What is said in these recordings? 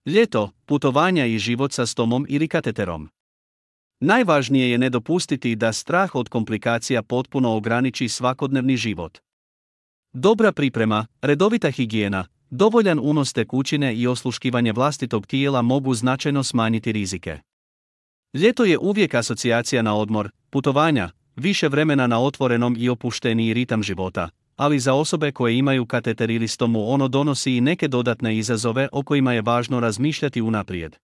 Ljeto, putovanja i život sa stomom ili kateterom. Najvažnije je ne dopustiti da strah od komplikacija potpuno ograniči svakodnevni život. Dobra priprema, redovita higijena, dovoljan unos tekućine i osluškivanje vlastitog tijela mogu značajno smanjiti rizike. Ljeto je uvijek asocijacija na odmor, putovanja, više vremena na otvorenom i opušteniji ritam života, ali za osobe koje imaju kateter ili stomu ono donosi i neke dodatne izazove o kojima je važno razmišljati unaprijed.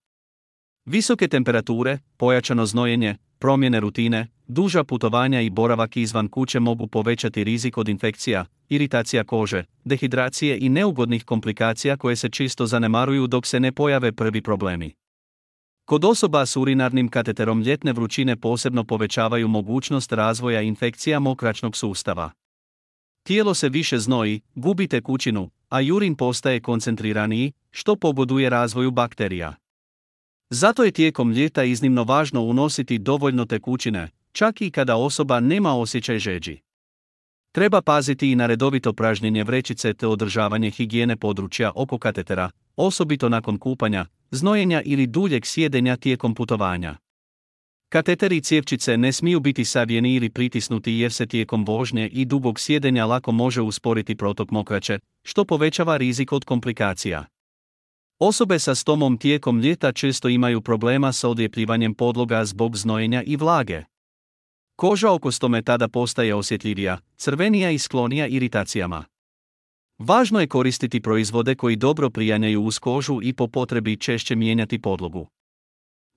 Visoke temperature, pojačano znojenje, promjene rutine, duža putovanja i boravak izvan kuće mogu povećati rizik od infekcija, iritacija kože, dehidracije i neugodnih komplikacija koje se čisto zanemaruju dok se ne pojave prvi problemi. Kod osoba s urinarnim kateterom ljetne vrućine posebno povećavaju mogućnost razvoja infekcija mokraćnog sustava. Tijelo se više znoji, gubi tekućinu, a urin postaje koncentriraniji, što pogoduje razvoju bakterija. Zato je tijekom ljeta iznimno važno unositi dovoljno tekućine, čak i kada osoba nema osjećaj žeđi. Treba paziti i na redovito pražnjenje vrećice te održavanje higijene područja oko katetera, osobito nakon kupanja, znojenja ili duljeg sjedenja tijekom putovanja. Kateteri i cjevčice ne smiju biti savijeni ili pritisnuti jer se tijekom vožnje i dugog sjedenja lako može usporiti protok mokraće, što povećava rizik od komplikacija. Osobe sa stomom tijekom ljeta često imaju problema sa odljepljivanjem podloga zbog znojenja i vlage. Koža oko stome tada postaje osjetljivija, crvenija i sklonija iritacijama. Važno je koristiti proizvode koji dobro prijanjaju uz kožu i po potrebi češće mijenjati podlogu.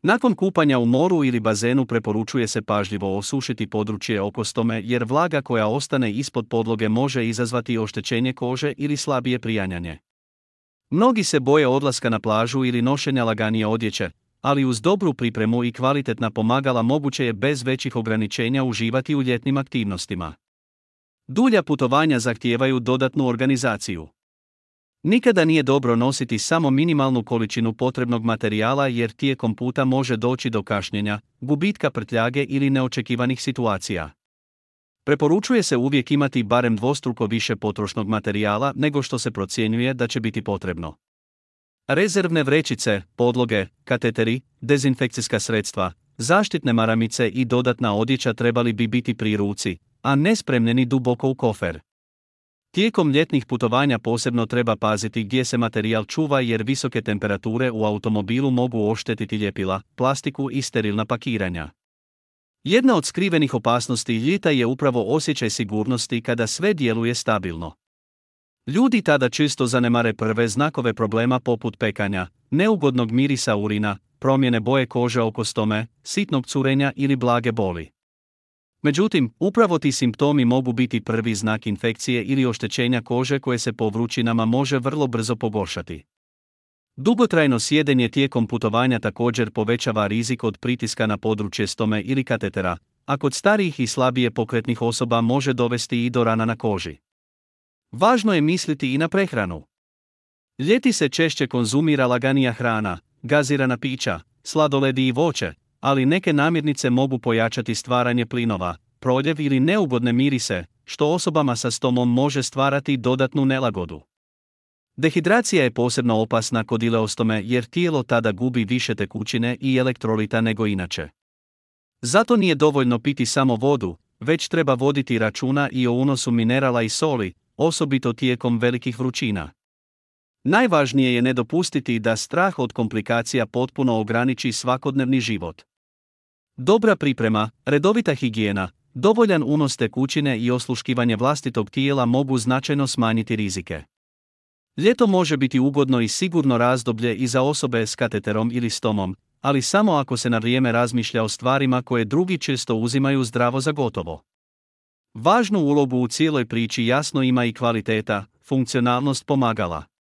Nakon kupanja u moru ili bazenu preporučuje se pažljivo osušiti područje oko stome jer vlaga koja ostane ispod podloge može izazvati oštećenje kože ili slabije prijanjanje. Mnogi se boje odlaska na plažu ili nošenja laganije odjeće, ali uz dobru pripremu i kvalitetna pomagala moguće je bez većih ograničenja uživati u ljetnim aktivnostima. Dulja putovanja zahtijevaju dodatnu organizaciju. Nikada nije dobro nositi samo minimalnu količinu potrebnog materijala jer tijekom puta može doći do kašnjenja, gubitka prtljage ili neočekivanih situacija. Preporučuje se uvijek imati barem dvostruko više potrošnog materijala nego što se procjenjuje da će biti potrebno. Rezervne vrećice, podloge, kateteri, dezinfekcijska sredstva, zaštitne maramice i dodatna odjeća trebali bi biti pri ruci, a ne spremljeni duboko u kofer. Tijekom ljetnih putovanja posebno treba paziti gdje se materijal čuva jer visoke temperature u automobilu mogu oštetiti ljepila, plastiku i sterilna pakiranja. Jedna od skrivenih opasnosti ljeta je upravo osjećaj sigurnosti kada sve djeluje stabilno. Ljudi tada često zanemare prve znakove problema poput pekanja, neugodnog mirisa urina, promjene boje kože oko stome, sitnog curenja ili blage boli. Međutim, upravo ti simptomi mogu biti prvi znak infekcije ili oštećenja kože koje se po vrućinama može vrlo brzo pogoršati. Dugotrajno sjedenje tijekom putovanja također povećava rizik od pritiska na područje stome ili katetera, a kod starijih i slabije pokretnih osoba može dovesti i do rana na koži. Važno je misliti i na prehranu. Ljeti se češće konzumira laganija hrana, gazirana pića, sladoledi i voće, ali neke namirnice mogu pojačati stvaranje plinova, proljev ili neugodne mirise, što osobama sa stomom može stvarati dodatnu nelagodu. Dehidracija je posebno opasna kod ileostome jer tijelo tada gubi više tekućine i elektrolita nego inače. Zato nije dovoljno piti samo vodu, već treba voditi računa i o unosu minerala i soli, osobito tijekom velikih vrućina. Najvažnije je ne dopustiti da strah od komplikacija potpuno ograniči svakodnevni život. Dobra priprema, redovita higijena, dovoljan unos tekućine i osluškivanje vlastitog tijela mogu značajno smanjiti rizike. Ljeto može biti ugodno i sigurno razdoblje i za osobe s kateterom ili stomom, ali samo ako se na vrijeme razmišlja o stvarima koje drugi često uzimaju zdravo za gotovo. Važnu ulogu u cijeloj priči jasno ima i kvaliteta, funkcionalnost pomagala.